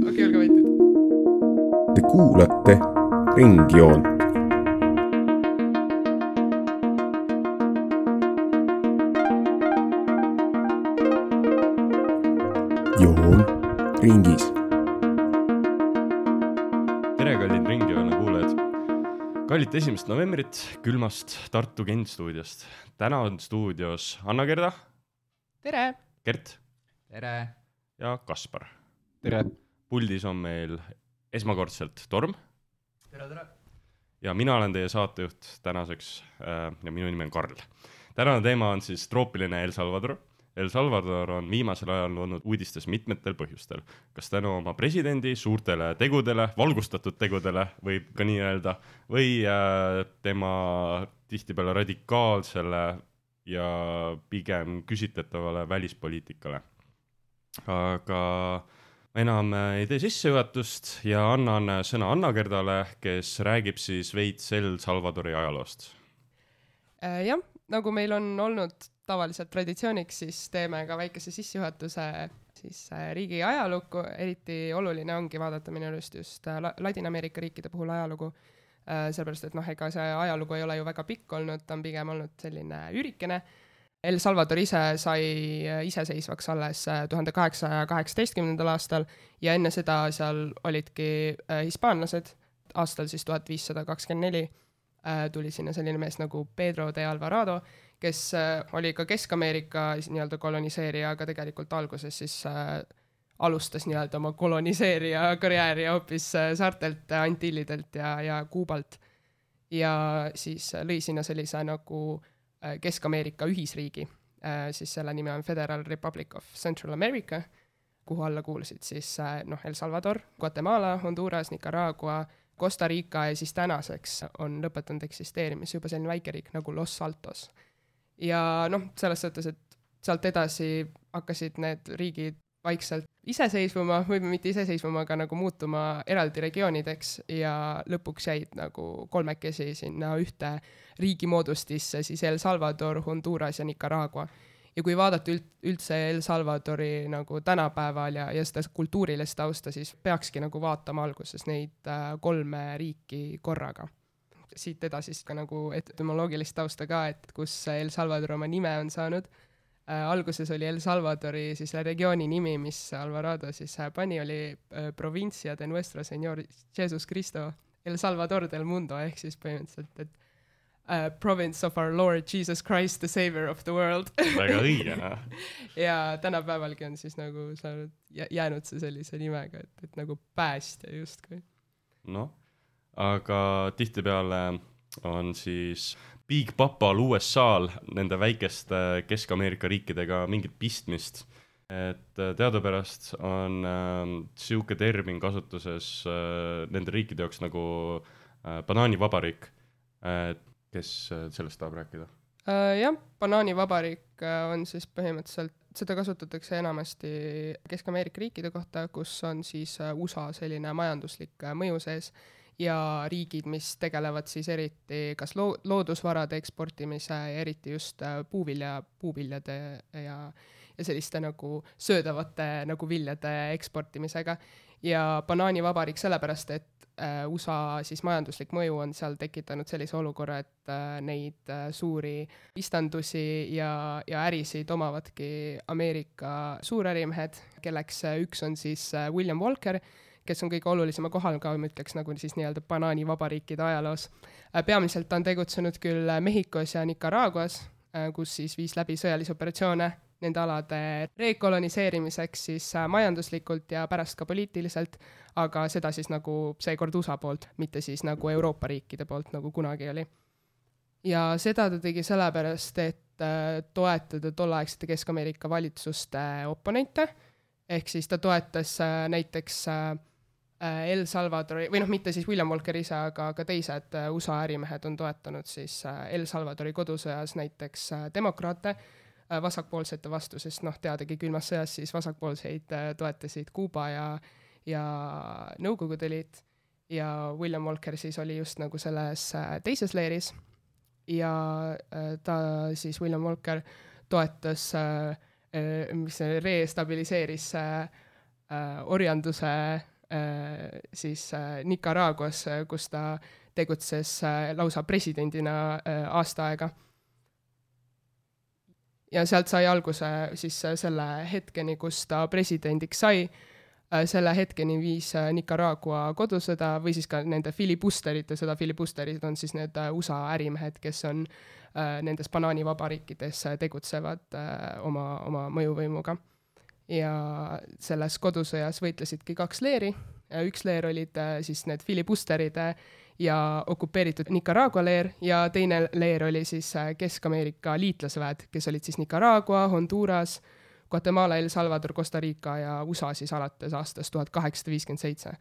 Okei, olge võitud. Te kuulate Ringjoont. Joon ringis. Tere, kallid Ringjoone kuulajad. Kallid 1. novembrit külmast Tartu Gent stuudiost. Täna on stuudios Anna-Gerda, Tere! Gert Tere! ja Kaspar. Tere! Puldis on meil esmakordselt Torm. Tere! Ja mina olen teie saatejuht tänaseks ja minu nimi on Karl. Tänane teema on siis troopiline El Salvador. El Salvador on viimasel ajal olnud uudistes mitmetel põhjustel. Kas tänu oma presidendi suurtele tegudele, valgustatud tegudele, võib ka nii öelda, või tema tihtipeale radikaalsele ja pigem küsitletavale välispoliitikale. Aga enam ei tee sissejuhatust ja annan sõna Anna-Gerdale, kes räägib siis veits El Salvadori ajaloost. Jah, nagu meil on olnud tavaliselt traditsiooniks, siis teeme ka väikese sissejuhatuse siis riigi ajalukku. Eriti oluline ongi vaadata minu just Ladina-Ameerika riikide puhul ajalugu, sellepärast, et ega see ajalugu ei ole ju väga pikk olnud, ta on pigem olnud selline ürikene. El Salvador ise sai iseseisvaks alles 1818. aastal ja enne seda seal olidki hispaanlased. Aastal siis 1524 tuli sinna selline mees nagu Pedro de Alvarado, kes oli ka Kesk-Ameerika nii-öelda koloniseerija, aga tegelikult alguses siis alustas nii-öelda oma koloniseerija karjääri hoopis saartelt, Antillidelt ja Kuubalt. Ja siis lõi sinna sellise nagu Kesk-Ameerika ühisriigi, siis selle nimi on Federal Republic of Central America, kuhu alla kuulusid siis El Salvador, Guatemala, Honduras, Nicaragua, Costa Rica ja siis tänaseks on lõpetanud eksisteerimis juba selline väikeriik nagu Los Altos. Ja selles suhtes, et sealt edasi hakkasid need riigid vaikselt iseseisvuma, või mitte iseseisvuma, aga nagu muutuma eraldi regioonideks ja lõpuks jäid nagu kolmekesi sinna ühte riigimoodustisse, siis El Salvador, Honduras ja Nicaragua. Ja kui vaadata üldse El Salvadori nagu tänapäeval ja seda kultuurilist tausta, siis peakski nagu vaatama alguses neid kolme riiki korraga. Siit edasi ka nagu etümoloogilist tausta ka, et kus El Salvador oma nime on saanud. Alguses oli El Salvadori siis regiooni nimi, mis Alvarado siis pani, oli Provincia de Nuestro Señor Jesus Cristo El Salvador del Mundo, ehk siis põhimõtteliselt, et Province of our Lord Jesus Christ, the Savior of the world. Väga õige, Ja tänapäevalgi on siis nagu jäänud see sellise nimega, et nagu päästja justkui. Aga tihtipeale on siis Big Papal USA-l nende väikeste Kesk-Ameerika riikidega mingit pistmist. Et teadupärast on siuke termin kasutuses nende riikide jaoks nagu banaanivabariik. Kes sellest tahab rääkida? Jah, banaanivabariik on siis põhimõtteliselt, seda kasutatakse enamasti Kesk-Ameerika riikide kohta, kus on siis USA selline majanduslik mõju sees ja riigid, mis tegelevad siis eriti kas loodusvarade eksportimise ja eriti just puuviljade ja selliste nagu söödavate nagu viljade eksportimisega. Ja banaanivabariik sellepärast, et USA siis majanduslik mõju on seal tekitanud sellise olukorra, et neid suuri istandusi ja ärisid omavadki Ameerika suurärimehed, kelleks üks on siis William Walker, kes on kõige olulisema kohal ka, ma ütleks nagu siis nii-öelda banaanivabariikide ajaloos. Peamiselt on tegutsenud küll Mehhikos ja Nicaraguas, kus siis viis läbi sõjalisi operatsioone nende alade rekoloniseerimiseks siis majanduslikult ja pärast ka poliitiliselt, aga seda siis nagu seekord USA poolt, mitte siis nagu Euroopa riikide poolt, nagu kunagi oli. Ja seda ta tegi sellepärast, et toetada tolleaegsete Kesk-Ameerika valitsuste oponente, ehk siis ta toetas näiteks El Salvadori, või mitte siis William Walker ise, aga ka teised USA ärimehed on toetanud siis El Salvadori kodusõjas näiteks demokraate, vasakpoolsete vastu, sest teadagi külmas sõjas siis vasakpoolseid toetasid Kuuba ja Nõukogude Liit ja William Walker siis oli just nagu selles teises leeris ja ta siis William Walker toetas mis see restabiliseeris orjanduse siis Nicaraguas, kus ta tegutses lausa presidendina aasta aega. Ja sealt sai alguse siis selle hetkeni, kus ta presidendiks sai, selle hetkeni viis Nicaragua kodusõda või siis ka nende filibusterite sõda. Filibusterid on siis need USA ärimehed, kes on nendes banaanivabariikides tegutsevad oma mõjuvõimuga. Ja selles kodusõjas võitlesidki 2 leeri. Üks leer olid siis need filibusteride ja okupeeritud Nicaragua leer ja teine leer oli siis Kesk-Ameerika liitlasväed, kes olid siis Nicaragua, Honduras, Guatemala, El Salvador, Costa Rica ja USA siis alates aastast 1857.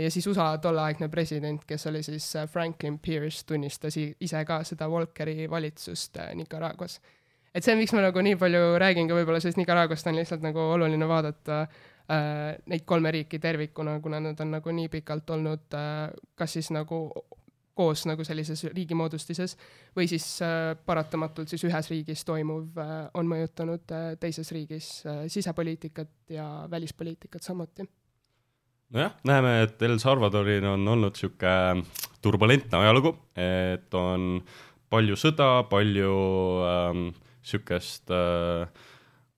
Ja siis USA tolleaegne president, kes oli siis Franklin Pierce, tunnistas ise ka seda Walkeri valitsust Nicaraguas. Et see on, miks ma nagu nii palju räägin ka võib-olla, sest Nicaraguast on lihtsalt nagu oluline vaadata neid 3 riiki tervikuna, kuna nad on nagu nii pikalt olnud kas siis nagu koos nagu sellises riigimoodustises või siis paratamatult siis ühes riigis toimuv on mõjutanud teises riigis sisepoliitikat ja välispoliitikat samuti. Nojah, näeme, et El Salvadorin on olnud siuke turbulentne ajalugu, et on palju sõda, palju siukest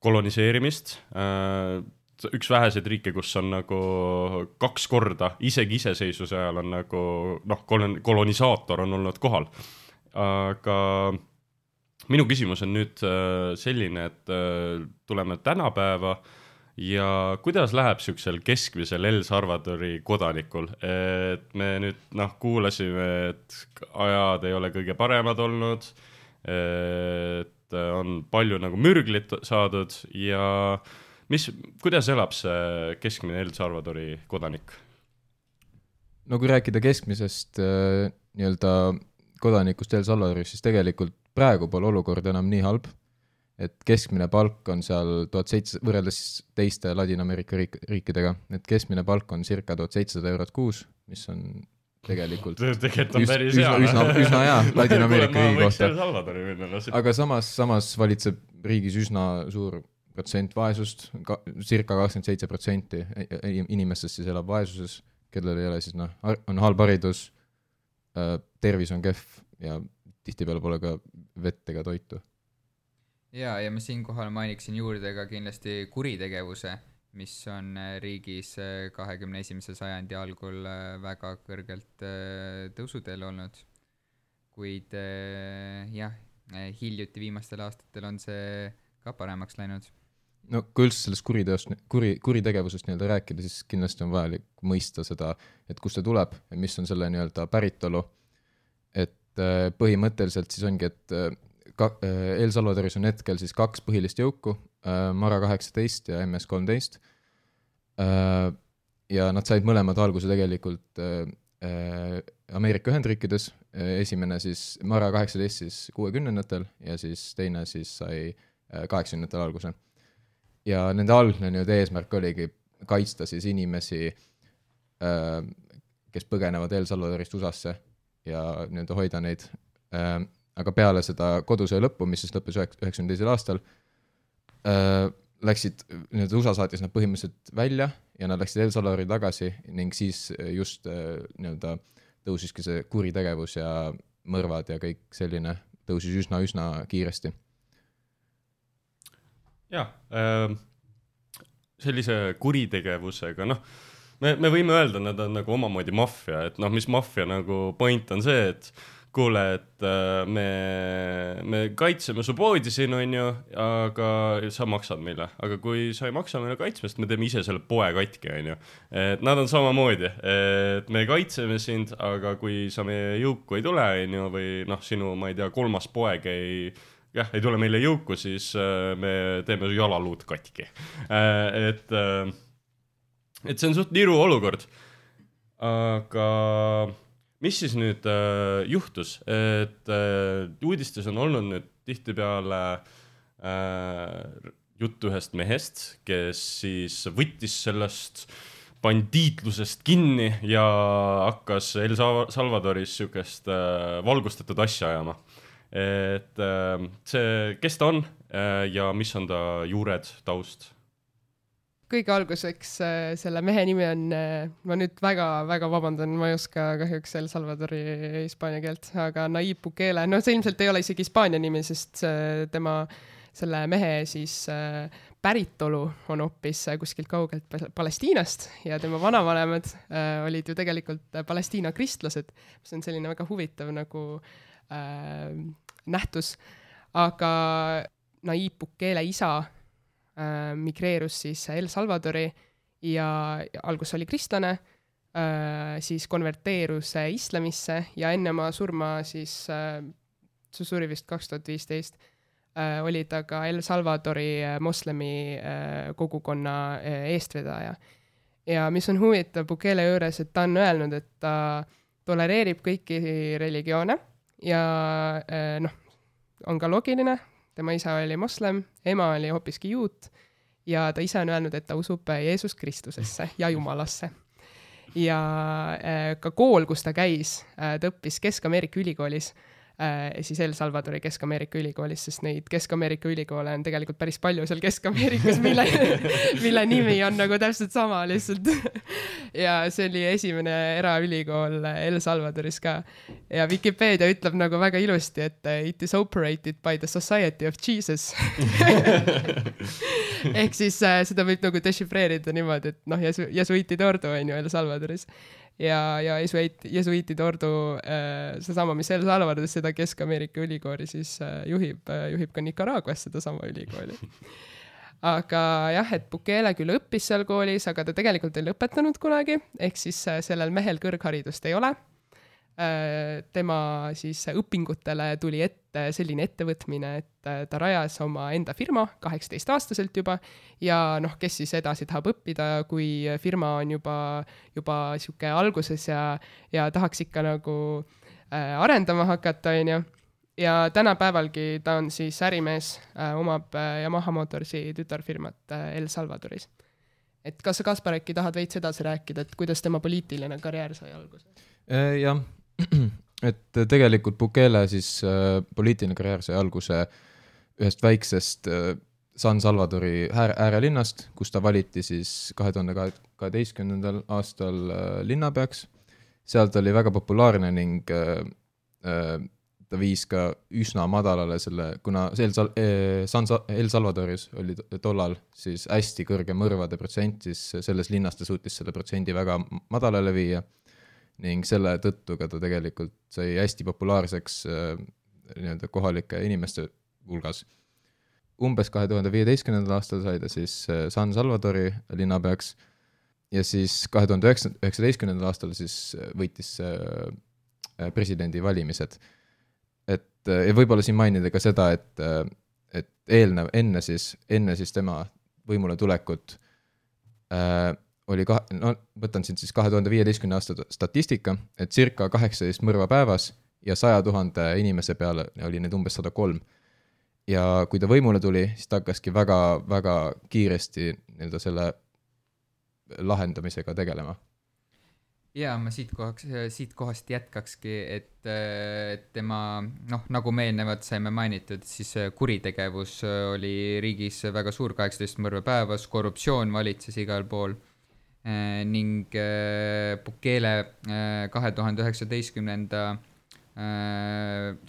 koloniseerimist, üks väheseid riike, kus on nagu 2 korda, isegi iseseisvuse ajal on nagu, kolonisaator on olnud kohal. Aga minu küsimus on nüüd selline, et tuleme tänapäeva ja kuidas läheb siuksel keskmisel El Salvadori kodanikul, et me nüüd kuulasime, et ajad ei ole kõige paremad olnud, et on palju nagu mürglit saadud ja kuidas elab see keskmine El Salvadori kodanik? No kui rääkida keskmisest nii-öelda kodanikust El Salvadoris, siis tegelikult praegu pole olukord enam nii halb, et keskmine palk on seal 1700, võrreldes teiste Ladina-Ameerika riikidega, et keskmine palk on circa 1700 eurot kuus, mis on tegelikult on päris üsna hea Ladina-Ameerika riigi kohta. Aga samas valitseb riigis üsna suur protsent vaesust, circa 27% inimestest siis elab vaesuses, kellel ei ole siis on halb haridus, tervis on kehv ja tihtipeale pole ka vett ega toitu. Ja ma siinkohal mainiksin juurde ka kindlasti kuritegevuse, mis on riigis 21. sajandi algul väga kõrgelt tõusuteel olnud. Kuid hiljuti viimastel aastatel on see ka paremaks läinud. No kui üldse sellest kuritegevusest nii-öelda rääkida, siis kindlasti on vajalik mõista seda, et kust see tuleb ja mis on selle nii-öelda päritolu. Et põhimõtteliselt siis ongi, et El Salvadoris on hetkel siis 2 põhilist jõuku, Mara 18 ja MS-13. Ja nad said mõlemad alguse tegelikult Ameerika Ühendriikides. Esimene siis Mara 18 siis 60-ndatel ja siis teine siis sai 80-ndatel alguse. Ja nende algne eesmärk oligi kaitsta siis inimesi, kes põgenevad El Salvadorist USA-sse ja hoida neid. Aga peale seda kodusõja lõppu, mis siis lõppes 92. aastal, läksid, USA saatis nad põhimõtteliselt välja ja nad läksid El Salvadori tagasi ning siis just tõusiski see kuritegevus ja mõrvad ja kõik selline tõusis üsna kiiresti. Jah, sellise kuritegevusega, me võime öelda, et nad on nagu omamoodi maffia, et mis maffia nagu point on see, et kuule, et me kaitseme su poodi siin, on ju, aga sa maksad meile. Aga kui sa ei maksa meile kaitsmest, me teeme ise selle poe katki, on ju. Et nad on samamoodi, et me kaitseme sind, aga kui sa meie jõuku ei tule, on ju, või sinu, ma ei tea, 3. poeg ei tule meile jõuku, siis me teeme su jalaluud katki. Et see on suht niru olukord. Aga mis siis nüüd juhtus, et uudistes on olnud nüüd tihtipeale jutt ühest mehest, kes siis võttis sellest bandiitlusest kinni ja hakkas El Salvadoris siukest valgustatud asja ajama. Et see, kes ta on, ja mis on ta juured, taust? Kõige alguseks selle mehe nimi on, ma nüüd väga vabandan, ma ei oska kahjuks El Salvadori hispaania keelt, aga Nayib Bukele, no see ilmselt ei ole isegi hispaania nimi, sest tema, selle mehe siis päritolu on hoopis kuskilt kaugelt Palestiinast ja tema vanavanemad olid ju tegelikult Palestiina kristlased, mis on selline väga huvitav nagu nähtus, aga Nayib Bukele isa migreerus siis El Salvadori ja algus oli kristlane, siis konverteerus islamisse ja enne oma surma siis, see suri vist 2015, oli ta ka El Salvadori moslemi kogukonna eestvedaja. Ja mis on huvitav Bukele juures, et ta on öelnud, et ta tolereerib kõiki religioone ja on ka loogiline. Tema isa oli moslem, ema oli hoopiski juut ja ta ise on öelnud, et ta usub Jeesus Kristusesse ja Jumalasse. Ja ka kool, kus ta käis, ta õppis Kesk-Ameerika ülikoolis, siis El Salvadori Kesk-Ameerika ülikoolis, sest neid Kesk-Ameerika ülikoole on tegelikult päris palju seal Kesk-Ameerikas, mille nimi on nagu täpselt sama lihtsalt. Ja see oli esimene eraülikool El Salvadoris ka. Ja Wikipedia ütleb nagu väga ilusti, et it is operated by the Society of Jesus. Ehk siis seda võib nagu dešifreerida niimoodi, et jesuitide ordu on ju El Salvadoris. Ja jesuitide ordu, seesama, mis El Salvadoris seda Kesk-Ameerika ülikooli siis juhib ka Nicaraguas seda sama ülikooli. Aga jah, et Bukele küll õppis seal koolis, aga ta tegelikult ei lõpetanud kunagi, ehk siis sellel mehel kõrgharidust ei ole. Tema siis õpingutele tuli ette selline ettevõtmine, et ta rajas oma enda firma 18-aastaselt juba ja kes siis edasi tahab õppida, kui firma on juba siuke alguses ja tahaks ikka nagu arendama hakata, on ju. Ja tänapäevalgi ta on siis ärimees, omab Yamaha Motorsi tütarfirmat El Salvadoris. Et kas sa, Kaspar, äkki tahad veits edasi rääkida, et kuidas tema poliitiline karjäär sai alguse? Jah, et tegelikult Bukele siis poliitiline karjäär sai alguse ühest väiksest San Salvadori äärelinnast, kus ta valiti siis 2012. aastal linnapeaks. Sealt oli väga populaarne ning ta viis ka üsna madalale selle, kuna El Salvadoris oli tollal siis hästi kõrge mõrvade protsent, siis selles linnas ta suutis selle protsendi väga madalale viia ning selle tõttu ka ta tegelikult sai hästi populaarseks kohalike inimeste hulgas. Umbes 2015. aastal sai ta siis San Salvadori linnapeaks ja siis 2019. aastal siis võitis presidendi valimised. Ja võib-olla siin mainida ka seda, et enne siis tema võimule tulekut oli võtan siin siis 2015. aasta statistika, et circa 18 mõrva päevas ja 100 000 inimese peale oli need umbes 103. Ja kui ta võimule tuli, siis ta hakkaski väga kiiresti selle lahendamisega tegelema. Ja ma siit kohast jätkakski, et tema, nagu me eelnevalt saime mainitud, siis kuritegevus oli riigis väga suur, 18 mõrva päevas, korruptsioon valitses igal pool ning Bukele 2019.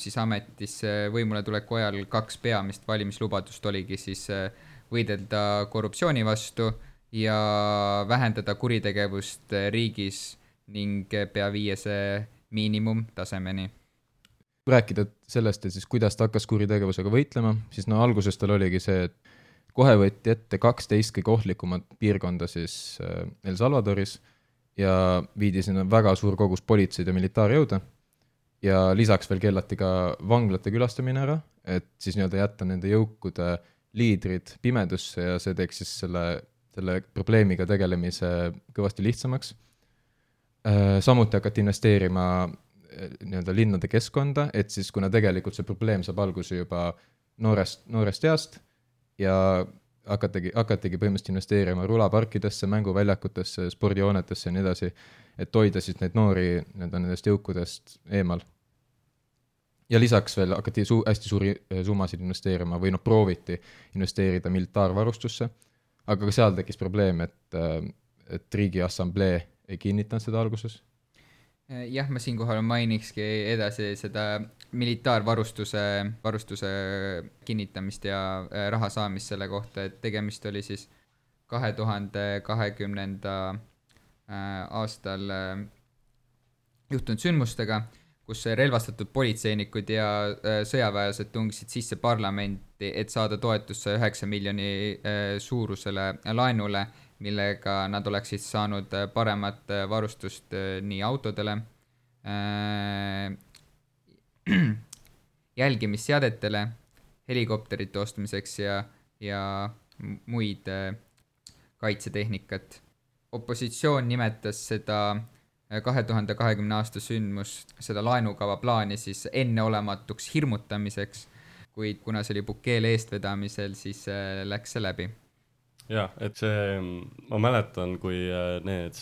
Siis ametisse võimule tuleku ajal 2 peamist valimislubadust oligi siis võidelda korruptsiooni vastu ja vähendada kuritegevust riigis ning pea viia see miinimumtasemeni. Rääkida sellest, et siis kuidas ta hakkas kuritegevusega võitlema, siis alguses tal oligi see, et kohe võeti ette 12 kõige ohtlikumat piirkonda siis El Salvadoris ja viidi sinna väga suur kogus politseid ja militaarjõude ja lisaks veel keelati ka vanglate külastamine ära, et siis jätta nende jõukude liidrid pimedusse ja see teeks siis selle probleemiga tegelemise kõvasti lihtsamaks. Samuti hakati investeerima linnade keskkonda, et siis kuna tegelikult see probleem saab alguse juba noorest east ja hakatigi põhimõtteliselt investeerima rulaparkidesse, mänguväljakutesse, spordihoonetesse ja nii edasi, et hoida siis neid noori nendest jõukudest eemal. ja lisaks veel hakati hästi suuri summasid investeerima või prooviti investeerida militaarvarustusse, aga ka seal tekkis probleem, et Riigi Assamblee ei kinnitanud seda alguses. Jah, ma siinkohal mainikski edasi seda militaarvarustuse kinnitamist ja raha saamist selle kohta, et tegemist oli siis 2020. Aastal juhtunud sündmustega, kus relvastatud politseinikud ja sõjaväelased tungisid sisse parlamenti, et saada toetusse 9 miljoni suurusele laenule, millega nad oleksid saanud paremat varustust nii autodele, jälgimisseadetele, helikopterite ostmiseks ja muid kaitsetehnikat. Opositsioon nimetas seda 2020 aasta sündmus, seda laenukava plaani siis enneolematuks hirmutamiseks, kuid kuna see oli Bukele eestvedamisel, siis läks see läbi. Jaa, et see, ma mäletan, kui need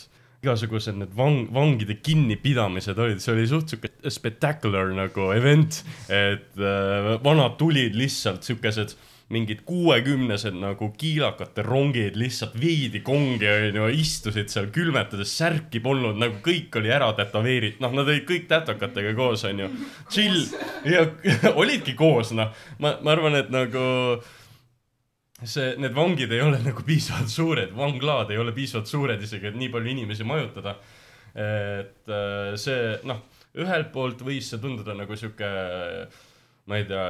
igasugused need vangide kinnipidamised olid, see oli suht spectacular nagu event, et vanad tulid lihtsalt sükesed mingid 60-sed nagu kiilakate rongid lihtsalt viidi kongi ja istusid seal külmetades, särki polnud, nagu kõik oli ära tätoveerid, nad olid kõik tätokatega koos, chill, ja olidki koos, ma arvan, et nagu need vangid ei ole nagu piisavalt suured, vanglaad ei ole piisavalt suured isegi, et nii palju inimesi majutada, et see, ühelt poolt võis see tunduda nagu siuke, ma ei tea,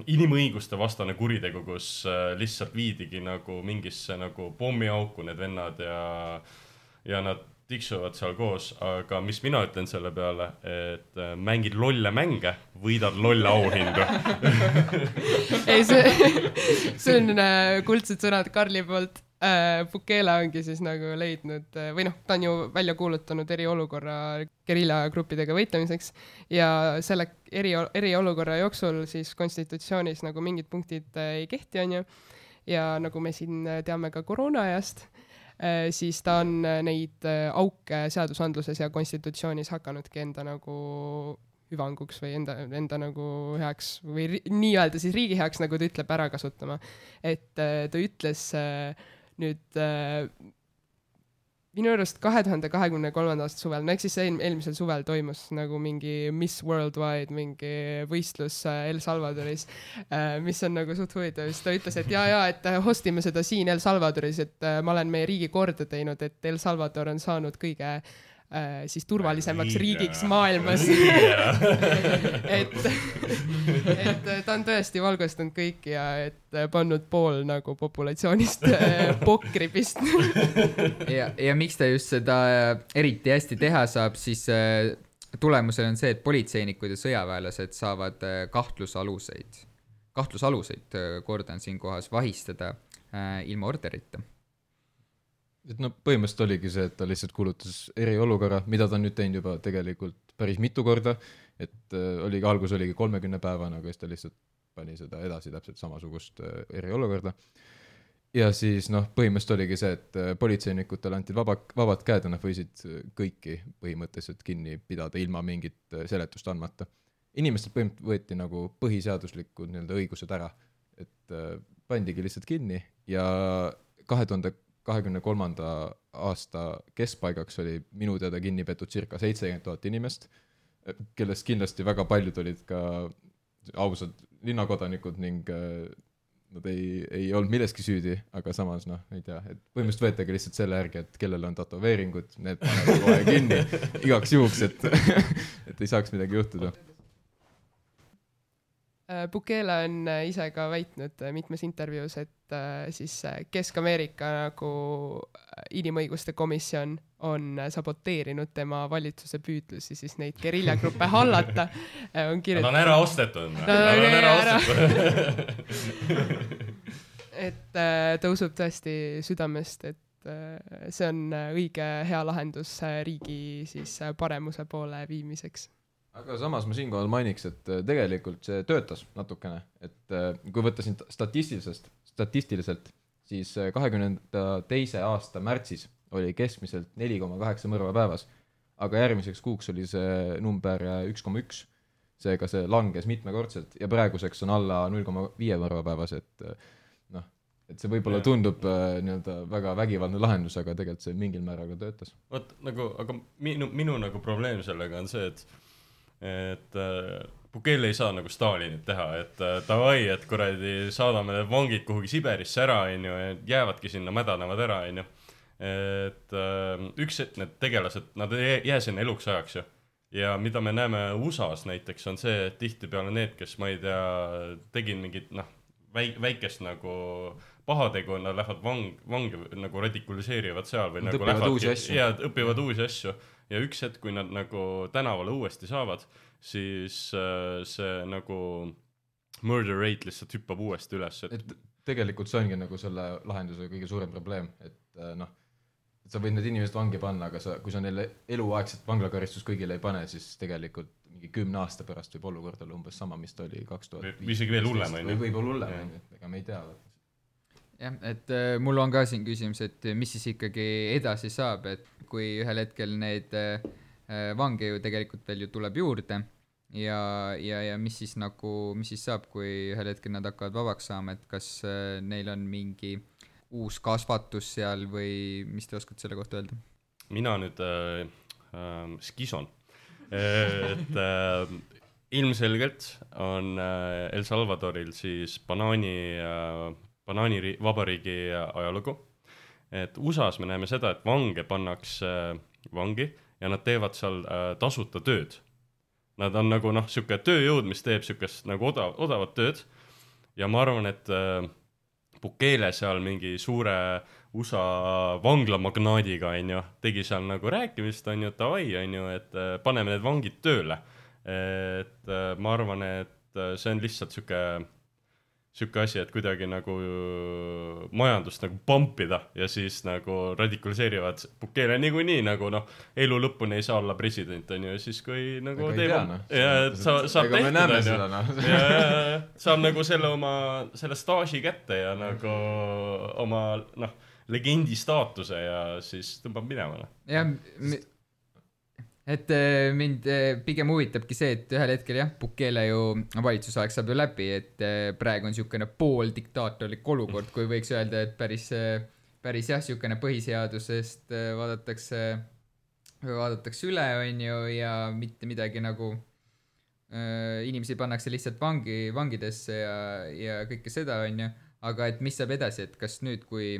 inimõiguste vastane kuritegu, kus lihtsalt viidigi nagu mingisse nagu pommiauku need vennad ja nad tiksuvad seal koos, aga mis mina ütlen selle peale, et mängid lolle mänge, võidad lolle auhindu. Ei, see on kuldsed sõnad Karli poolt. Bukele ongi siis nagu leidnud, või ta on ju välja kuulutanud eriolukorra geriljagruppidega võitlemiseks ja selle eriolukorra jooksul siis konstitutsioonis nagu mingid punktid ei kehti, on ju, ja nagu me siin teame ka koroona ajast, siis ta on neid auke seadusandluses ja konstitutsioonis hakanudki enda nagu hüvanguks või enda nagu heaks või nii-öelda siis riigi heaks, nagu ta ütleb, ära kasutama. Et ta ütles nüüd minu arust 2023. aasta suvel, ehk siis eelmisel suvel toimus nagu mingi Miss Worldwide mingi võistlus El Salvadoris, mis on nagu suht huvitav. Ta ütles, et et hostime seda siin El Salvadoris, et ma olen meie riigi korda teinud, et El Salvador on saanud kõige siis turvalisemaks riigiks maailmas. et ta on tõesti valgustanud kõiki ja et pannud pool nagu populatsioonist pokri pistnud. ja miks ta just seda eriti hästi teha saab, siis tulemusel on see, et politseinikud ja sõjaväelased saavad kahtlusaluseid, kordan siin kohas, vahistada ilma orderita. Et põhimõtteliselt oligi see, et ta lihtsalt kuulutas eriolukorra, mida ta on nüüd teinud juba tegelikult päris mitu korda, et algus oligi 30 päevana, aga siis ta lihtsalt pani seda edasi täpselt samasugust eriolukorda. Ja siis põhimõtteliselt oligi see, et politseinikutele anti vabad käed ja nad võisid kõiki põhimõtteliselt kinni pidada ilma mingit seletust andmata. Inimestel põhimõtteliselt võeti nagu põhiseaduslikud õigused ära, et pandigi lihtsalt kinni ja 2023. aasta keskpaigaks oli minu teada kinni peetud circa 70 000 inimest, kellest kindlasti väga paljud olid ka ausad linnakodanikud ning nad ei olnud milleski süüdi, aga samas ei tea, et põhimõtteliselt võetagi lihtsalt selle järgi, et kellel on tätoveeringud, need panevad kohe kinni igaks juhuks, et ei saaks midagi juhtuda. Bukele on ise ka väitnud mitmes intervjuus, et siis Kesk-Ameerika nagu inimõiguste komisjon on saboteerinud tema valitsuse püüdlusi siis neid geriljagruppe hallata. Nad on ära ostetud. Et ta usub tõesti südamest, et see on õige hea lahendus riigi siis paremuse poole viimiseks. Aga samas ma siinkohal mainiks, et tegelikult see töötas natukene, et kui võtta siin statistiliselt, siis 2022. aasta märtsis oli keskmiselt 4,8 mõrva päevas, aga järgmiseks kuuks oli see number 1,1 seega see langes mitmekordselt ja praeguseks on alla 0,5 varva päevas, et noh, et see võib-olla tundub nii-öelda väga vägivaldne lahendus, aga tegelikult see mingil määral ka töötas. Vot nagu, aga minu nagu probleem sellega on see, et Bukele ei saa nagu Stalinit teha, et davai, et kuradi saadame need vangid kuhugi Siberisse ära, onju, ja jäävadki sinna, mädanevad ära, onju. Et üks, et need tegelased, nad ei jää sinna eluks ajaks ju. Ja mida me näeme USAs näiteks on see, et tihti peale need, kes ma ei tea, tegin mingit väikest nagu pahategu, nad lähevad vangi nagu radikuliseerivad seal või nad nagu õpivad uusi asju. Ja õpivad uusi asju ja üks hetk, kui nad nagu tänavale uuesti saavad, siis see nagu murder rate lihtsalt hüppab uuesti üles. Et tegelikult see ongi nagu selle lahenduse kõige suurem probleem, et noh, et sa võid need inimesed vangi panna, aga kui sa neile eluaegset vanglakaristus kõigile ei pane, siis tegelikult mingi 10 aasta pärast võib olukord olla umbes sama, mis ta oli 2005. Või isegi veel hullem, või võib-olla hullem, ega me ei tea. Jah, et mul on ka siin küsimus, et mis siis ikkagi edasi saab, et kui ühel hetkel need vange ju tegelikult veel ju tuleb juurde ja mis siis saab, kui ühel hetkel nad hakkavad vabaks saama, et kas neil on mingi uus kasvatus seal või mis te oskate selle kohta öelda? Mina nüüd skison. Et ilmselgelt on El Salvadoril siis banaani vabariigi ajalugu. Et USAs me näeme seda, et vange pannakse vangi ja nad teevad seal tasuta tööd. Nad on nagu siuke tööjõud, mis teeb siukest nagu odavat tööd ja ma arvan, et Bukele seal mingi suure USA vanglamagnaadiga tegi seal nagu rääkimist, davai, et paneme need vangid tööle. Et ma arvan, et see on lihtsalt siuke asi, et kuidagi nagu majandust nagu pumpida ja siis nagu radikaliseerivad Bukele niikuinii nagu elu lõpuni ei saa olla president, ja siis kui nagu saab tehtud, saab nagu selle staaži kätte ja nagu oma legendi staatuse ja siis tõmbab minema. Jah, et mind pigem huvitabki see, et ühel hetkel Bukele ju valitsusaeg saab ju läbi, et praegu on siukene pool diktaatorlik olukord, kui võiks öelda, et päris siukene põhiseadusest vaadatakse üle, on ju, ja mitte midagi nagu inimesi pannakse lihtsalt vangidesse ja kõike seda, on ju, aga et mis saab edasi, et kas nüüd, kui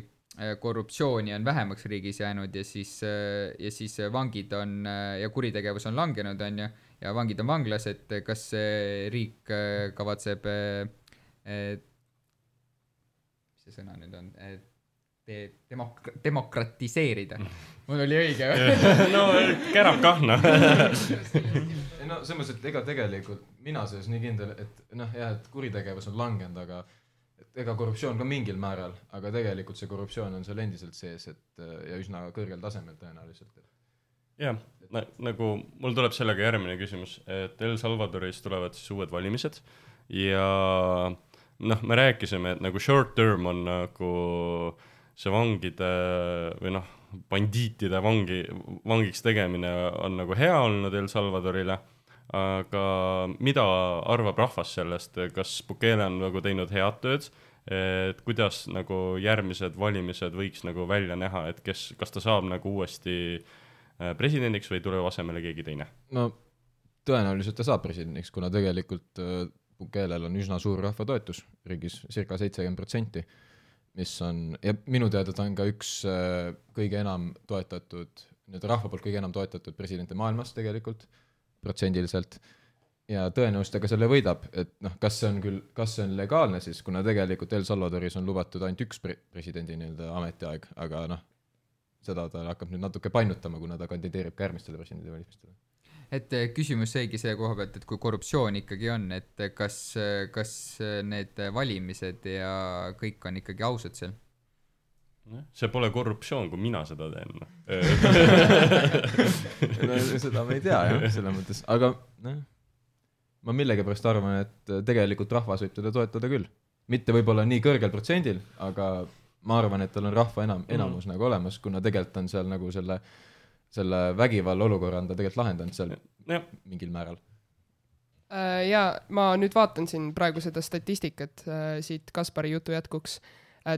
korruptsiooni on vähemaks riigis jäänud ja siis vangid on ja kuritegevus on langenud, on ju, ja vangid on vanglas, et kas riik kavatseb mis see sõna nüüd on, demokratiseerida. Mul oli õige. No, kärab kahna. No, selles mõttes, et ega tegelikult mina sees nii kindel, et et kuritegevus on langenud, aga ega korruptsioon ka mingil määral, aga tegelikult see korruptsioon on seal endiselt sees, ja üsna kõrgel tasemel tõenäoliselt. Jah, nagu mul tuleb sellega järgmine küsimus, et El Salvadoris tulevad siis uued valimised ja me rääkisime, et nagu short term on nagu see vangide või bandiitide vangiks tegemine on nagu hea olnud El Salvadorile, aga mida arvab rahvas sellest, kas Bukele on nagu teinud head tööd, et kuidas nagu järgmised valimised võiks nagu välja näha, et kas ta saab nagu uuesti presidendiks või tuleb asemele keegi teine? No tõenäoliselt ta saab presidendiks, kuna tegelikult Bukelel on üsna suur rahvatoetus riigis, circa 70%, mis on, ja minu teada ta on ka üks kõige enam toetatud, rahva poolt kõige enam toetatud presidente maailmas tegelikult, protsendiliselt, ja tõenäoliselt ka selle võidab, et kas see on legaalne siis, kuna tegelikult El Salvadoris on lubatud ainult üks presidendi ametiaeg, aga seda ta hakkab nüüd natuke painutama, kuna ta kandideerib ka järgmistele presidendi valimistele. Et küsimus seegi selle koha pealt, et kui korruptsioon ikkagi on, et kas need valimised ja kõik on ikkagi ausad seal? See pole korruptsioon, kui mina seda teen. Seda me ei tea, selles mõttes. Aga ma millegipärast arvan, et tegelikult rahvas võib teda toetada küll. Mitte võib-olla nii kõrgel protsendil, aga ma arvan, et tal on rahva enamus nagu olemas, kuna tegelikult on seal nagu selle vägivalla olukorra on ta tegelikult lahendanud seal mingil määral. Ja ma nüüd vaatan siin praegu seda statistikat siit Kaspari jutu jätkuks.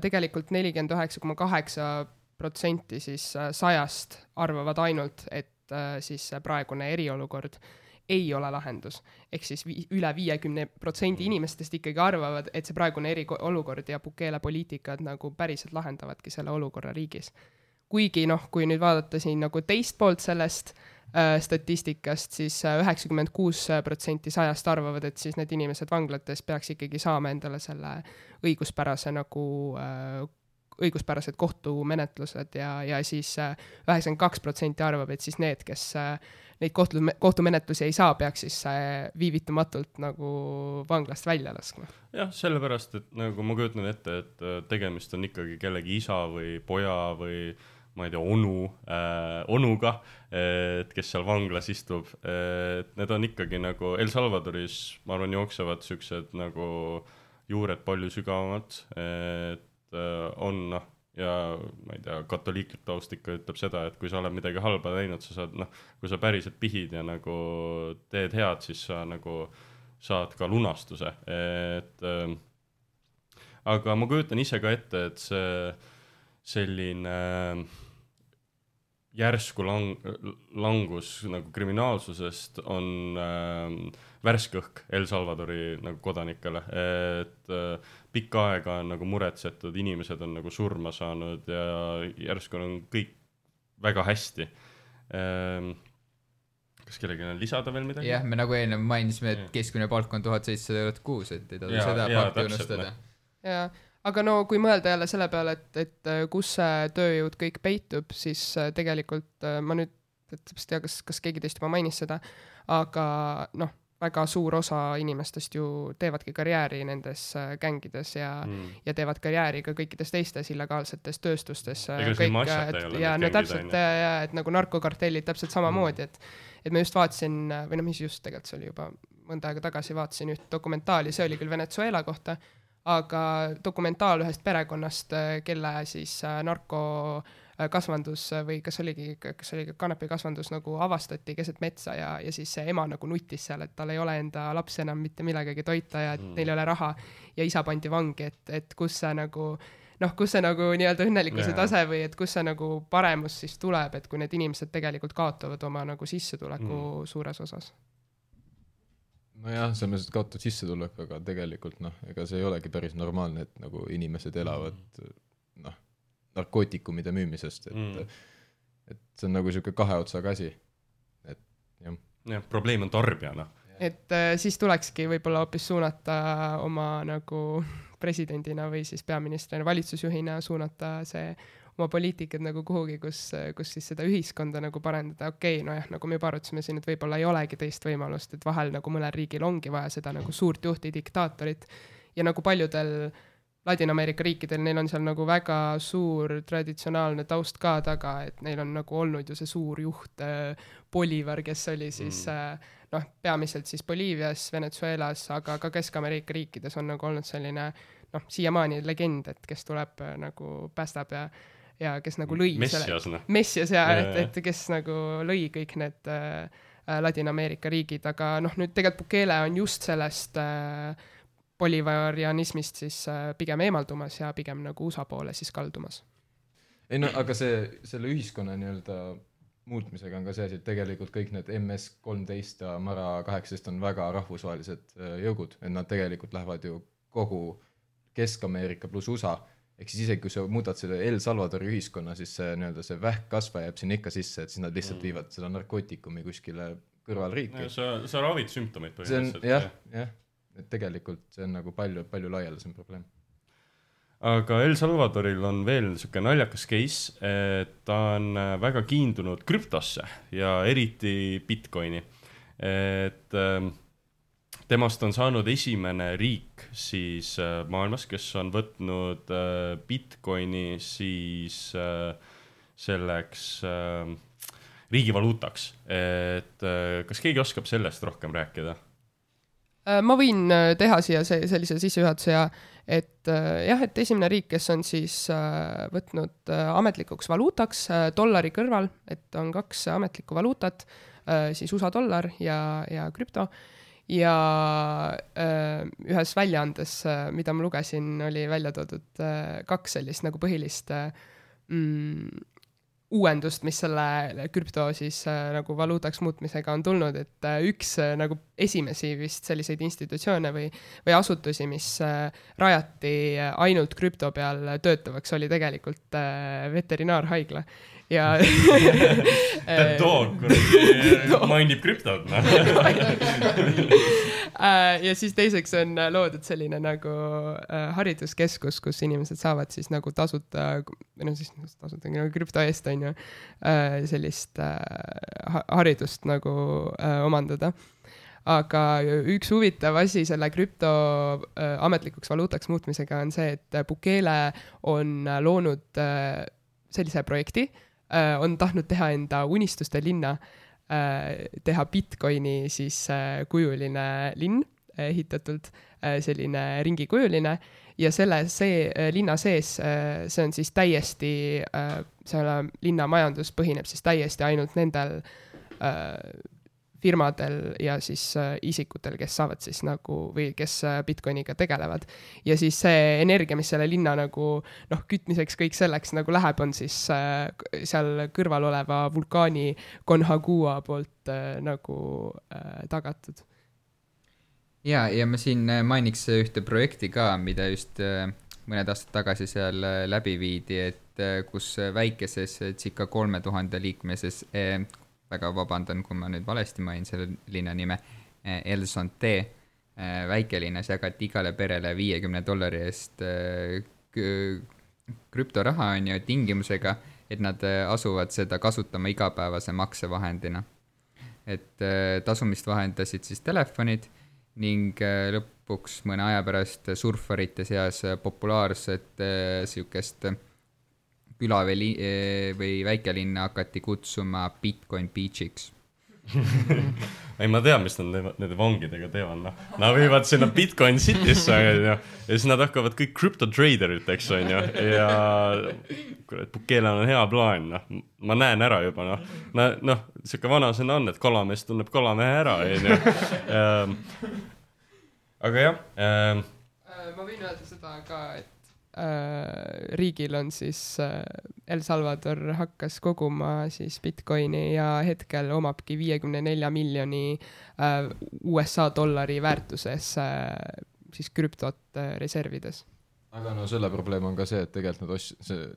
Tegelikult 49,8% siis 100 arvavad ainult, et siis praegune eriolukord ei ole lahendus. Ehk siis üle 50% inimestest ikkagi arvavad, et see praegune eriolukord ja Bukele poliitikad nagu päriselt lahendavadki selle olukorra riigis. Kuigi kui nüüd vaadata siin nagu teist poolt sellest statistikast, siis 96% 100 arvavad, et siis need inimesed vanglates peaks ikkagi saama endale selle õiguspärased kohtumenetlused ja siis 92% arvab, et siis need, kes neid kohtumenetlusi ei saa, peaks siis viivitamatult nagu vanglast välja laskma. Jah, sellepärast, et nagu ma kujutan ette, et tegemist on ikkagi kellegi isa või poja või ma ei tea, onuga, et kes seal vanglas istub, et need on ikkagi nagu El Salvadoris, ma arvan, jooksevad siuksed nagu juured palju sügavamad, et on ja ma ei tea, katoliiklik taust ikka ütleb seda, et kui sa oled midagi halba teinud, sa saad, kui sa päriselt pihid ja nagu teed head, siis sa nagu saad ka lunastuse, et aga ma kujutan ise ka ette, et see selline järsku langus nagu kriminaalsusest on värske õhk El Salvadori nagu kodanikele, et pikka aega on nagu muretsetud, inimesed on nagu surma saanud ja järsku on kõik väga hästi. Kas kellegi on lisada veel midagi? Jah, me nagu enne mainisime, et keskmine palk on 1700 € kuus, et ei taha seda fakti unustada. Jaa, aga kui mõelda jälle selle peale, et kus see tööjõud kõik peitub, siis tegelikult ma nüüd täpselt tea, kas keegi teist juba mainis seda, aga väga suur osa inimestest ju teevadki karjääri nendes gängides ja teevad karjääri ka kõikides teistes illegaalsetes tööstustes. Täpselt, et nagu narkokartellid täpselt samamoodi, et ma just vaatasin, või mis just tegelikult see oli juba mõnda aega tagasi, vaatasin üht dokumentaali, see oli küll Venezuela kohta, aga dokumentaal ühest perekonnast, kelle siis narkokasvandus või kas oligi kanepikasvandus nagu avastati keset metsa ja siis see ema nagu nutis seal, et tal ei ole enda laps enam mitte millegagi toita ja et neil ei ole raha ja isa pandi vangi, et kus see nagu nii-öelda õnnelikkuse tase või et kus see nagu paremus siis tuleb, et kui need inimesed tegelikult kaotavad oma nagu sissetuleku suures osas. Nojah, see on mõttes kaotud sissetulek, aga tegelikult ega see ei olegi päris normaalne, et nagu inimesed elavad narkootikumide müümisest, et see on nagu siuke kahe otsaga asi. Et jah, probleem on tarbijana. Et siis tulekski võib-olla hoopis suunata oma nagu presidendina või siis peaministrina, valitsusjuhina suunata see oma poliitikad nagu kuhugi, kus siis seda ühiskonda nagu parendada. Okei, nagu me juba arutasime siin, et võib-olla ei olegi teist võimalust, et vahel nagu mõnel riigil ongi vaja seda nagu suurt juhti diktaatorit ja nagu paljudel Ladina-Ameerika riikidel, neil on seal nagu väga suur traditsionaalne taust ka taga, et neil on nagu olnud ju see suur juht Bolivar, kes oli siis peamiselt siis Boliivias, Venezuelas, aga ka Kesk-Ameerika riikides on nagu olnud selline siiamaani legend, et kes tuleb nagu päästab ja kes nagu lõi Messias et kes nagu lõi kõik need Ladina-Ameerika riigid, aga nüüd tegelikult Bukele on just sellest bolivarianismist siis pigem eemaldumas ja pigem nagu USA poole siis kaldumas. Ei aga selle ühiskonna nii-öelda muutmisega on ka see asi, et tegelikult kõik need MS-13 ja Mara 18 on väga rahvusvahelised jõugud, et nad tegelikult lähevad ju kogu Kesk-Ameerika pluss USA, ehk siis isegi kui sa muudad selle El Salvadori ühiskonna, siis see, nii-öelda see vähkkasva jääb sinna ikka sisse, et siis nad lihtsalt viivad seda narkootikumi kuskile kõrvalriiki. Sa ravid sümptomeid põhimõtteliselt. Jah, et tegelikult see on nagu palju laialdasem probleem. Aga El Salvadoril on veel niisugune naljakas case, et ta on väga kiindunud krüptosse ja eriti Bitcoini. Et temast on saanud esimene riik siis maailmas, kes on võtnud Bitcoini siis selleks riigivaluutaks. Et kas keegi oskab sellest rohkem rääkida? Ma võin teha siia sellise sissejuhatuse, et esimene riik, kes on siis võtnud ametlikuks valuutaks dollari kõrval, et on 2 ametlikku valuutat, siis USA dollar ja krüpto. ja ühes väljaandes, mida ma lugesin, oli välja toodud 2 sellist nagu põhilist uuendust, mis selle krüpto siis nagu valuutaks muutmisega on tulnud, et üks nagu esimesi vist selliseid institutsioone või asutusi, mis rajati ainult krüpto peal töötavaks, oli tegelikult veterinaarhaigla. Ja dog mainib krüptot. Ja siis teiseks on loodud selline nagu hariduskeskus, kus inimesed saavad siis nagu tasuta nagu krüpto eest on ju sellist haridust nagu omandada. Aga üks huvitav asi selle krüpto ametlikuks valuutaks muutmisega on see, et Bukele on loonud sellise projekti, on tahtnud teha enda unistuste linna, teha Bitcoini siis kujuline linn, ehitatult selline ringikujuline ja see linna sees, see on siis täiesti, selle linna majandus põhineb siis täiesti ainult nendel firmadel ja siis isikutel, kes saavad siis nagu või kes Bitcoiniga tegelevad. Ja siis see energia, mis selle linna nagu kütmiseks kõik selleks nagu läheb, on siis seal kõrval oleva vulkaani Concagua poolt nagu tagatud. Ja ma siin mainiks ühte projekti ka, mida just mõned aastad tagasi seal läbi viidi, et kus väikeses circa 3000 liikmeses väga vabandan, kui ma nüüd valesti mainin selle linna nime, El Santé, väikelinnas jagati igale perele $50 eest krüptoraha on ju tingimusega, et nad asuvad seda kasutama igapäevase maksevahendina. Et tasumist vahendasid siis telefonid ning lõpuks mõne aja pärast surfarite seas populaarset sihukest küla või väikelinna hakati kutsuma Bitcoin Beachiks. Ei, ma tean, mis nad nende vangidega teevad. Nad viivad sinna Bitcoin Citysse ja siis nad hakkavad kõik crypto-traderid, eks on ju. Ja Bukele on hea plaan. Ma näen ära juba. Siuke vanasõna on, et kalamees tunneb kalamehe ära. Aga jah. Ma võin öelda seda ka, et riigil on siis El Salvador hakkas koguma siis Bitcoini ja hetkel omabki 54 miljoni USA dollari väärtuses siis krüptot reservides. Aga selle probleem on ka see, et tegelikult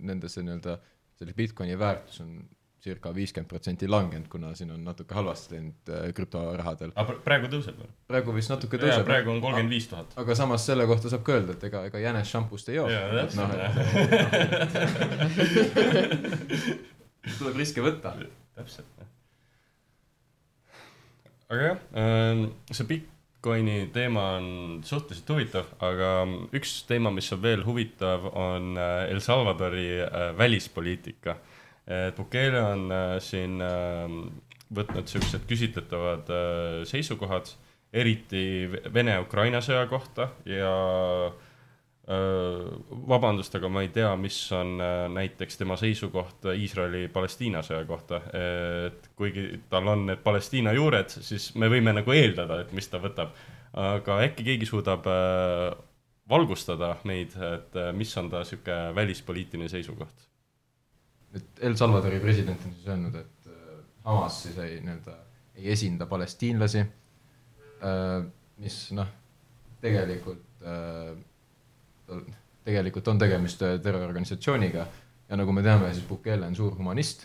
nendesse selle Bitcoini väärtus on circa 50% langenud, kuna siin on natuke halvasti läinud krüptorahadel. Aga praegu tõuseb? Praegu vist natuke tõuseb. Ja praegu on 35 000. Aga samas selle kohta saab ka öelda, et ega jänes šampust ei joo. Ja, tuleb riske võtta. Täpselt. Aga jah, see Bitcoini teema on suhteliselt huvitav, aga üks teema, mis on veel huvitav, on El Salvadori välispoliitika. Bukele on siin võtnud sellised küsitletavad seisukohad, eriti Vene-Ukraina sõja kohta ja vabandust, aga ma ei tea, mis on näiteks tema seisukoht Iisraeli-Palestiina sõja kohta. Et kuigi tal on need Palestiina juured, siis me võime nagu eeldada, et mis ta võtab. Aga äkki keegi suudab valgustada meid, et mis on ta siuke välispoliitiline seisukoht? Et El Salvadori president on siis öelnud, et Hamas siis ei esinda palestiinlasi, mis tegelikult on tegemist terrororganisatsiooniga ja nagu me teame, siis Bukele on suur humanist.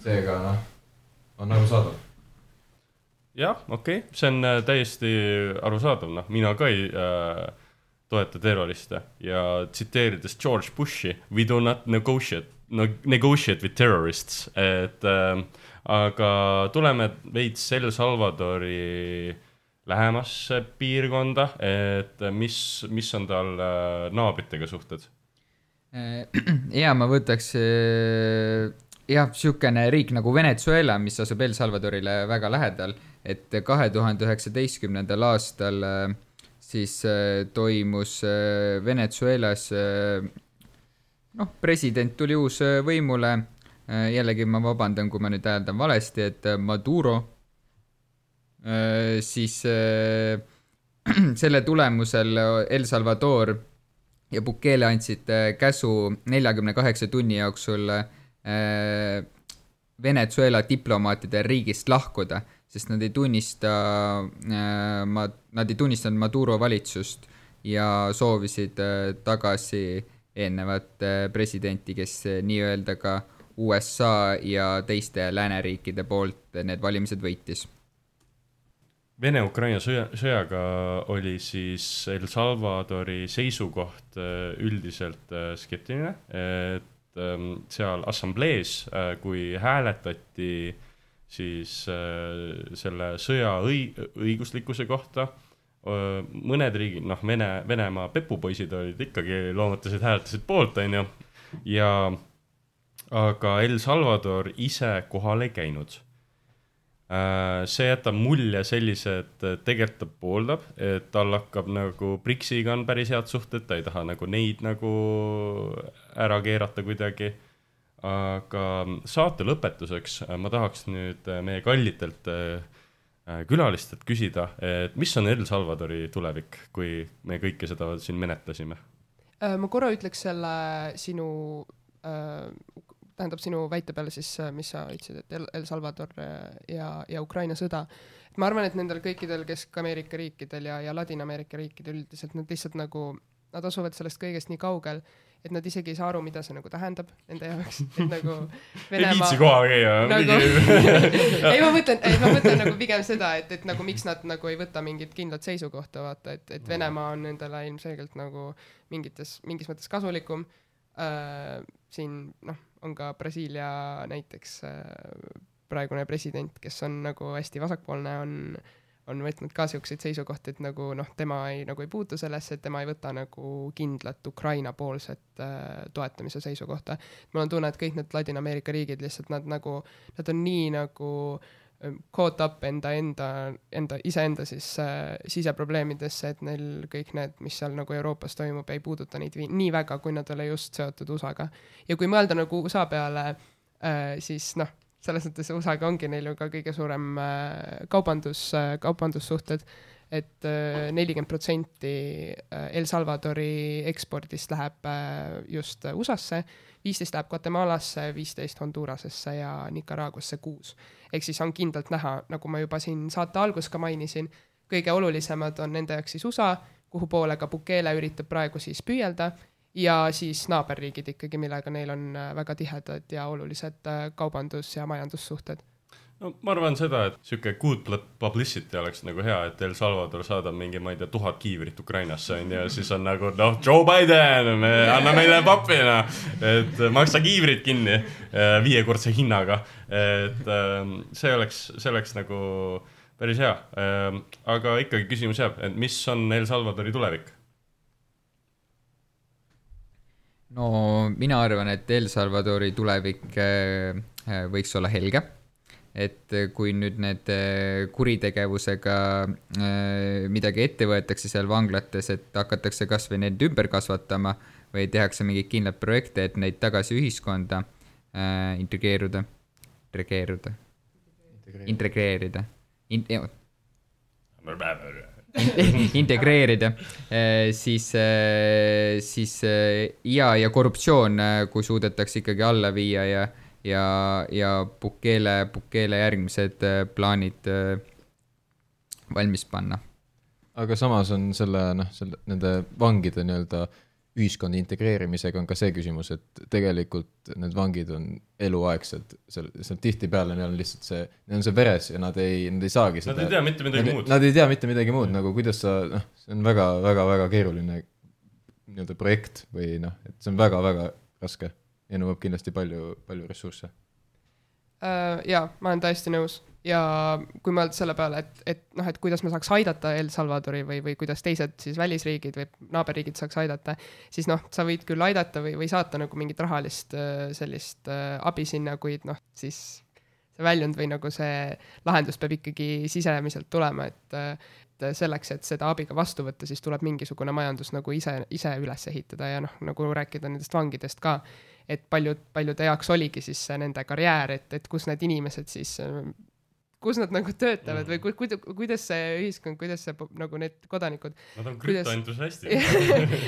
Seega on arusaadav. Jah, okei. See on täiesti arusaadav. Mina ka ei toeta terroriste ja tsiteerides George Bushi, we do not negotiate with terrorists, aga tuleme veits El Salvadori lähemasse piirkonda, et mis on tal naabritega suhted? Ja ma võtaks siukene riik nagu Venezuela, mis asub El Salvadorile väga lähedal, et 2019. aastal siis toimus Venezuelas president tuli uus võimule, jällegi ma vabandan, kui ma nüüd hääldan valesti, et Maduro siis selle tulemusel El Salvador ja Bukele andsid käsu 48 tunni jooksul Venezuela diplomaatide riigist lahkuda, sest nad ei tunnistanud Maduro valitsust ja soovisid tagasi eelnevat presidenti, kes nii-öelda ka USA ja teiste lääneriikide poolt need valimised võitis. Vene-Ukraina sõjaga oli siis El Salvadori seisukoht üldiselt skeptiline, et seal assamblees, kui hääletati siis selle sõja õiguslikkuse kohta, mõned riigid, Venemaa pepupoisid olid ikkagi hääletasid poolt, on ju, aga El Salvador ise kohal ei käinud. See jätab mulje sellise, et tegelikult ta pooldab, et tal hakkab nagu BRICS-iga on päris head suhted, ta ei taha nagu neid nagu ära keerata kuidagi. Aga saate lõpetuseks ma tahaks nüüd meie kallitelt külalistelt küsida, et mis on El Salvadori tulevik, kui me kõike seda siin menetlesime? Ma korra ütleks selle sinu väite peale siis, mis sa ütlesid, et El Salvador ja Ukraina sõda. Et ma arvan, et nendel kõikidel Kesk-Ameerika riikidel ja Ladina-Ameerika riikidel üldiselt nad lihtsalt nagu, nad asuvad sellest kõigest nii kaugel, et nad isegi ei saa aru, mida see nagu tähendab nende jaoks. Et nagu Venemaa... Ei viitsi koha käia. Nagu... ei, ma mõtlen nagu pigem seda, et nagu miks nad nagu ei võta mingit kindlat seisukohta, vaata, et Venemaa on nendele ilmselgelt nagu mingis mõttes kasulikum. Siin, on ka Brasiilia näiteks praegune president, kes on nagu hästi vasakpoolne, on võtnud ka siukseid seisukohti, et nagu tema ei puutu sellesse, et tema ei võta nagu kindlat Ukraina poolset toetamise seisukohta. Mul on tunne, et kõik need Ladina-Ameerika riigid lihtsalt nad on nii nagu caught up iseenda siis siseprobleemidesse, et neil kõik need, mis seal nagu Euroopas toimub, ei puuduta neid nii väga, kui nad ole just seotud USA-ga. Ja kui mõelda nagu USA peale, siis selles mõttes USA-ga ongi neil ju ka kõige suurem kaubandussuhted, et 40% El Salvadori ekspordist läheb just USA-sse, 15 läheb Guatemalasse, 15 Hondurasesse ja Nicaraguasse 6. Ehk siis on kindlalt näha, nagu ma juba siin saate algus ka mainisin, kõige olulisemad on nende jaoks siis USA, kuhu poole ka Bukele üritab praegu siis püüelda, ja siis naaberriigid ikkagi, millega neil on väga tihedad ja olulised kaubandus- ja majandussuhted. No, ma arvan seda, et siuke good publicity oleks nagu hea, et El Salvador saadab mingi, ma ei tea, 1000 kiivrit Ukrainasse, ja siis on nagu, Joe Biden, anna meile papina, et maksa kiivrit kinni 5-kordse hinnaga, et see oleks nagu päris hea. Aga ikkagi küsimus jääb, et mis on El Salvadori tulevik? No mina arvan, et El Salvadori tulevik võiks olla helge. Et kui nüüd need kuritegevusega midagi ette võetakse seal vanglates, et hakatakse kas või neid ümber kasvatama või tehakse mingeid kindlad projekte, et neid tagasi ühiskonda integreerida, siis ja korruptsioon, kui suudetakse ikkagi alla viia ja Bukele järgmised plaanid valmis panna. Aga samas on nende vangide nii-öelda ühiskonda integreerimisega on ka see küsimus, et tegelikult need vangid on eluaegsed, seal tihtipeale neil on lihtsalt neil on see veres ja nad ei saagi seda. Nad ei tea mitte midagi muud. Nad ei tea mitte midagi muud, nagu kuidas see on väga keeruline nii-öelda projekt või et see on väga raske ja nõuab kindlasti palju ressursse. Jaa, ma olen täiesti nõus. Ja kui mõelda selle peale, et kuidas me saaks aidata El Salvadori või kuidas teised siis välisriigid või naaberriigid saaks aidata, siis sa võid küll aidata või saata nagu mingit rahalist sellist abi sinna, kuid siis see väljund või nagu see lahendus peab ikkagi sisemiselt tulema, et selleks, et seda abiga vastu võtta, siis tuleb mingisugune majandus nagu ise üles ehitada ja nagu rääkida nendest vangidest ka, et paljude jaoks oligi siis nende karjäär, et kus need inimesed siis kus nad nagu töötavad või kuidas see ühiskond, kuidas see nagu need kodanikud. Nad on krüptoentusiastid.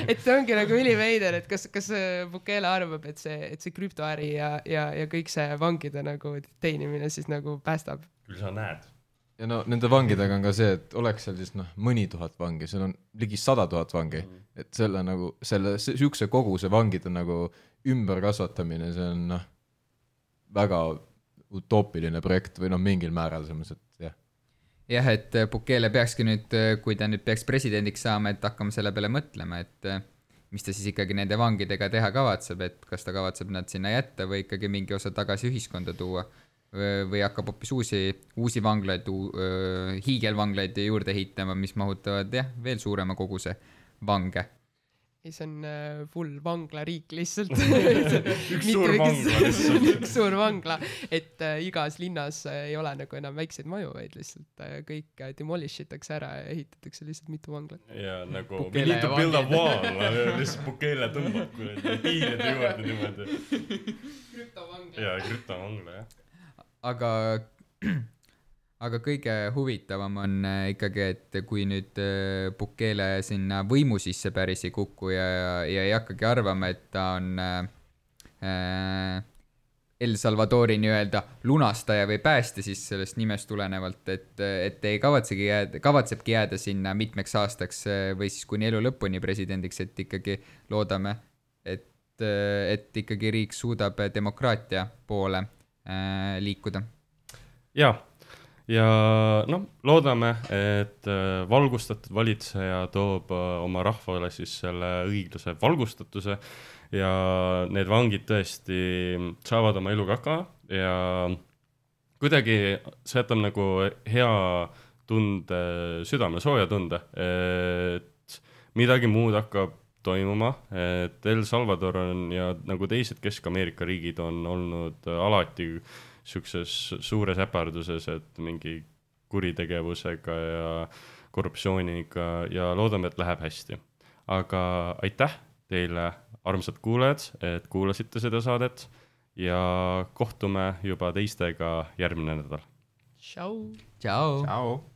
et see ongi nagu üliveider, et kas Bukele arvab, et see krüptoäri ja kõik see vangide nagu teenimine siis nagu päästab. Küll sa näed. Ja no nende vangidega on ka see, et oleks seal siis mõni tuhat vangi, seal on ligi 100 000 vangi, et selle nagu, siukse koguse vangide nagu ümberkasvatamine, see on väga utoopiline projekt või mingil määral selles, et jah. Jah, et Bukele peakski nüüd, kui ta nüüd peaks presidendiks saama, et hakkama selle peale mõtlema, et mis ta siis ikkagi nende vangidega teha kavatseb, et kas ta kavatseb nad sinna jätta või ikkagi mingi osa tagasi ühiskonda tuua või hakkab hoopis uusi vanglaid, hiigelvanglaid juurde ehitama, mis mahutavad veel suurema koguse vange. See on full vanglariik lihtsalt. üks suur vangla lihtsalt. Üks suur vangla, et igas linnas ei ole nagu enam väikseid maju, vaid lihtsalt kõik demolish itakse ära ja ehitatakse lihtsalt mitu vanglat. Ja nagu we need to build a wall, lihtsalt Bukele tõmbab piiride juurde niimoodi. Krüptovangla. Ja krüptovangla, jah. Aga kõige huvitavam on ikkagi, et kui nüüd Bukele sinna võimu sisse päris ei kuku ja ei hakkagi arvama, et ta on El Salvadori nii-öelda lunastaja või päästja siis sellest nimest tulenevalt, et ei kavatsebki jääda sinna mitmeks aastaks või siis kuni elu lõpuni presidendiks, et ikkagi loodame, et ikkagi riik suudab demokraatia poole liikuda. Jaa. Ja loodame, et valgustatud valitseja toob oma rahvale siis selle õiglase valgustatuse ja need vangid tõesti saavad oma eluga hakkama ja kuidagi see jätab nagu hea tunde, südame sooja tunde, et midagi muud hakkab toimuma, et El Salvador on ja nagu teised Kesk-Ameerika riigid on olnud alati siukses suures äparduses, et mingi kuritegevusega ja korruptsiooniga ja loodame, et läheb hästi. Aga aitäh teile, armsad kuulajad, et kuulasite seda saadet ja kohtume juba teistega järgmine nädal. Ciao! Ciao! Ciao!